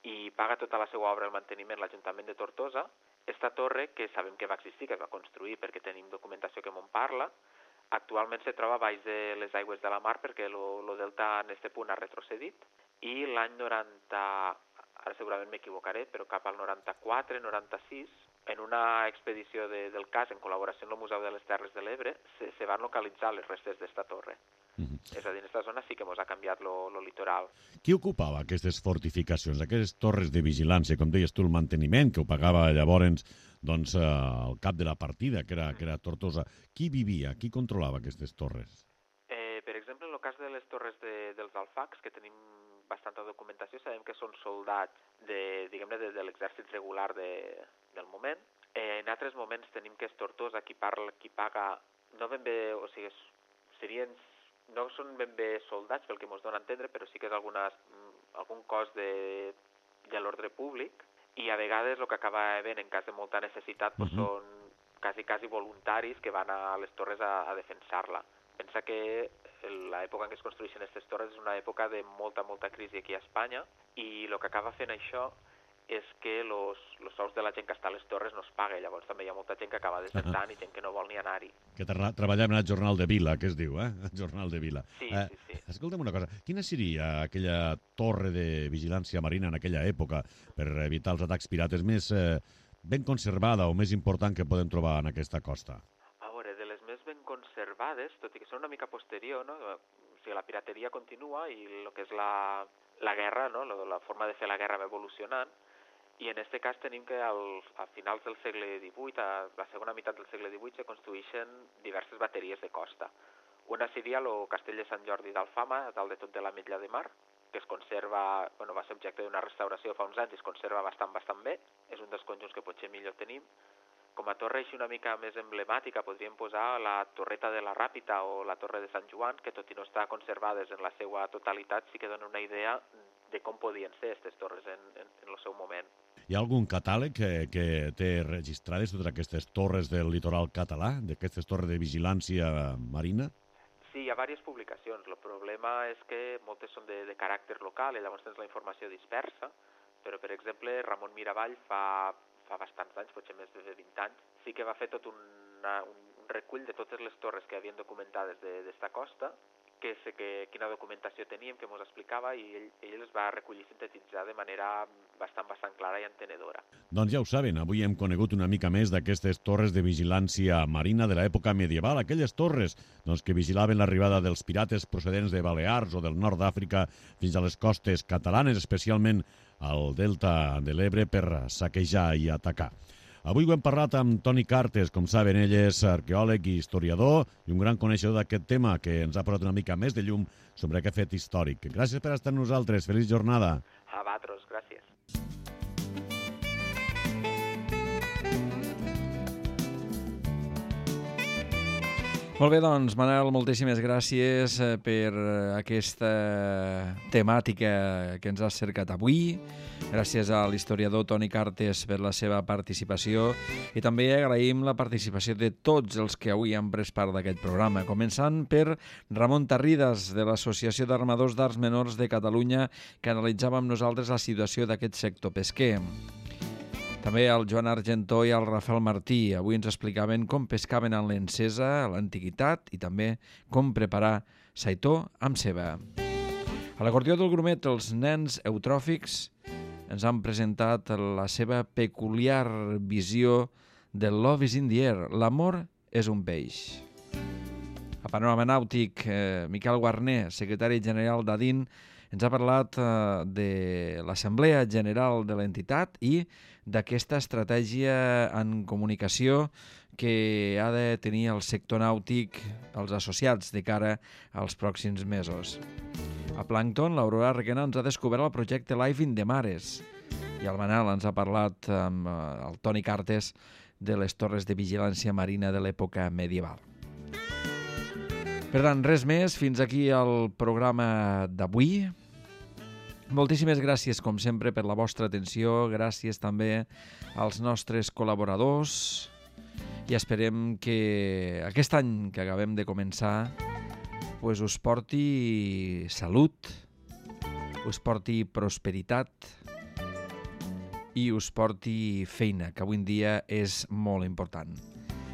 i paga tota la seva obra el manteniment l'Ajuntament de Tortosa. Esta torre, que sabem que va existir, que es va construir perquè tenim documentació que m'en parla, actualment se troba baix de les aigües de la mar perquè el delta en aquest punt ha retrocedit, i l'any 90, ara segurament m'equivocaré, però cap al 94-96, en una expedició del CAS, en col·laboració amb el Museu de les Terres de l'Ebre, se van localitzar les restes d'esta torre. És a dir, en aquesta zona sí que ens ha canviat el litoral. Qui ocupava aquestes fortificacions, aquestes torres de vigilància, com deies tu, el manteniment, que ho pagava llavors el cap de la partida, que era Tortosa? Qui vivia, qui controlava aquestes torres? Per exemple, en el cas de les torres dels Alfacs, que tenim bastanta documentació, sabem que són soldats de l'exèrcit regular del moment. En altres moments tenim que és Tortosa qui paga, no ben bé, o sigui, serien no són ben bé soldats, pel que ens dona a entendre, però sí que és algun cos de l'ordre públic, i a vegades el que acaba havent en cas de molta necessitat són quasi voluntaris que van a les torres a defensar-la. Pensa que l'època en què es construeixen aquestes torres és una època de molta crisi aquí a Espanya, i el que acaba fent això és que els sous de la gent que està a les torres no es paga. Llavors també hi ha molta gent que acaba desertant i gent que no vol ni anar-hi. Que treballem al Jornal de Vila, que es diu, El Jornal de Vila. Sí. Escolta'm una cosa, quina seria aquella torre de vigilància marina en aquella època per evitar els atacs pirates més ben conservada o més important que podem trobar en aquesta costa? A veure, de les més ben conservades, tot i que són una mica posterior, no? O sigui, la pirateria continua i el que és la guerra, no? La forma de fer la guerra va evolucionant, i en aquest cas tenim que a finals del segle XVIII, a la segona meitat del segle XVIII, se construeixen diverses bateries de costa. Una seria el castell de Sant Jordi d'Alfama, a dalt de tot de l'Ametlla de Mar, que es conserva, va ser objecte d'una restauració fa uns anys i es conserva bastant bé. És un dels conjunts que potser millor tenim. Com a torre així una mica més emblemàtica podríem posar la Torreta de la Ràpita o la Torre de Sant Joan, que tot i no estar conservades en la seva totalitat, sí que donen una idea de com podien ser aquestes torres en el seu moment. Hi ha algun catàleg que té registrades totes aquestes torres del litoral català, d'aquestes torres de vigilància marina? Sí, hi ha diverses publicacions. El problema és que moltes són de caràcter local i llavors tens la informació dispersa, però, per exemple, Ramon Miravall fa bastants anys, potser més de 20 anys, sí que va fer tot un recull de totes les torres que havien documentades d'esta costa, que sé quina documentació teníem, que ens explicava, i ell les va recollir i sintetitzar de manera bastant clara i entenedora. Doncs ja ho saben, avui hem conegut una mica més d'aquestes torres de vigilància marina de l'època medieval, aquelles torres que vigilaven l'arribada dels pirates procedents de Balears o del nord d'Àfrica fins a les costes catalanes, especialment al delta de l'Ebre, per saquejar i atacar. Avui ho hem parlat amb Toni Cartes, com saben, ell és arqueòleg i historiador i un gran coneixedor d'aquest tema que ens ha posat una mica més de llum sobre aquest fet històric. Gràcies per estar amb nosaltres, feliç jornada. A vosaltres, gràcies. Molt bé, doncs, Manel, moltíssimes gràcies per aquesta temàtica que ens has cercat avui. Gràcies a l'historiador Toni Cartes per la seva participació i també agraïm la participació de tots els que avui han pres part d'aquest programa, començant per Ramon Tarridas, de l'Associació d'Armadors d'Arts Menors de Catalunya, que analitzava amb nosaltres la situació d'aquest sector pesquer. També el Joan Argentó i el Rafael Martí. Avui ens explicaven com pescaven en l'encesa a l'antiguitat i també com preparar saitó amb ceba. A l'acordió del grumet, els nens eutròfics ens han presentat la seva peculiar visió de Love is in the air. L'amor és un peix. A Panorama Nàutic, Miquel Guarner, secretari general d'ADIN, ens ha parlat de l'Assemblea General de l'entitat i d'aquesta estratègia en comunicació que ha de tenir el sector nàutic, els associats, de cara als pròxims mesos. A Plàncton, l'Aurora Requena ens ha descobert el projecte Live in the Mares i el Manel ens ha parlat amb el Toni Cartes de les torres de vigilància marina de l'època medieval. Per tant, res més. Fins aquí el programa d'avui. Moltíssimes gràcies, com sempre, per la vostra atenció. Gràcies també als nostres col·laboradors i esperem que aquest any que acabem de començar us porti salut, us porti prosperitat i us porti feina, que avui en dia és molt important.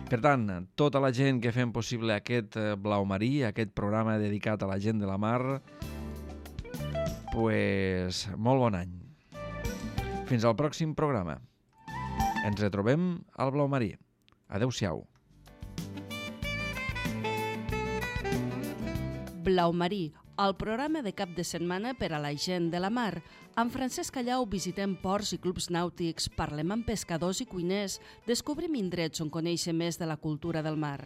Per tant, tota la gent que fem possible aquest Blau Marí, aquest programa dedicat a la gent de la mar, molt bon any. Fins al pròxim programa. Ens retrobem al Blau Marí. Adéu-siau. Blau Marí, el programa de cap de setmana per a la gent de la mar. Amb Francesc Callau visitem ports i clubs nàutics, parlem amb pescadors i cuiners, descobrim indrets on conèixer més de la cultura del mar.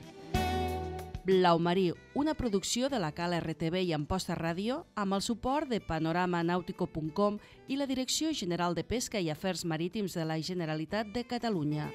Blau Marí, una producció de la Cala RTV i Amposta Ràdio, amb el suport de panoramanautico.com i la Direcció General de Pesca i Afers Marítims de la Generalitat de Catalunya.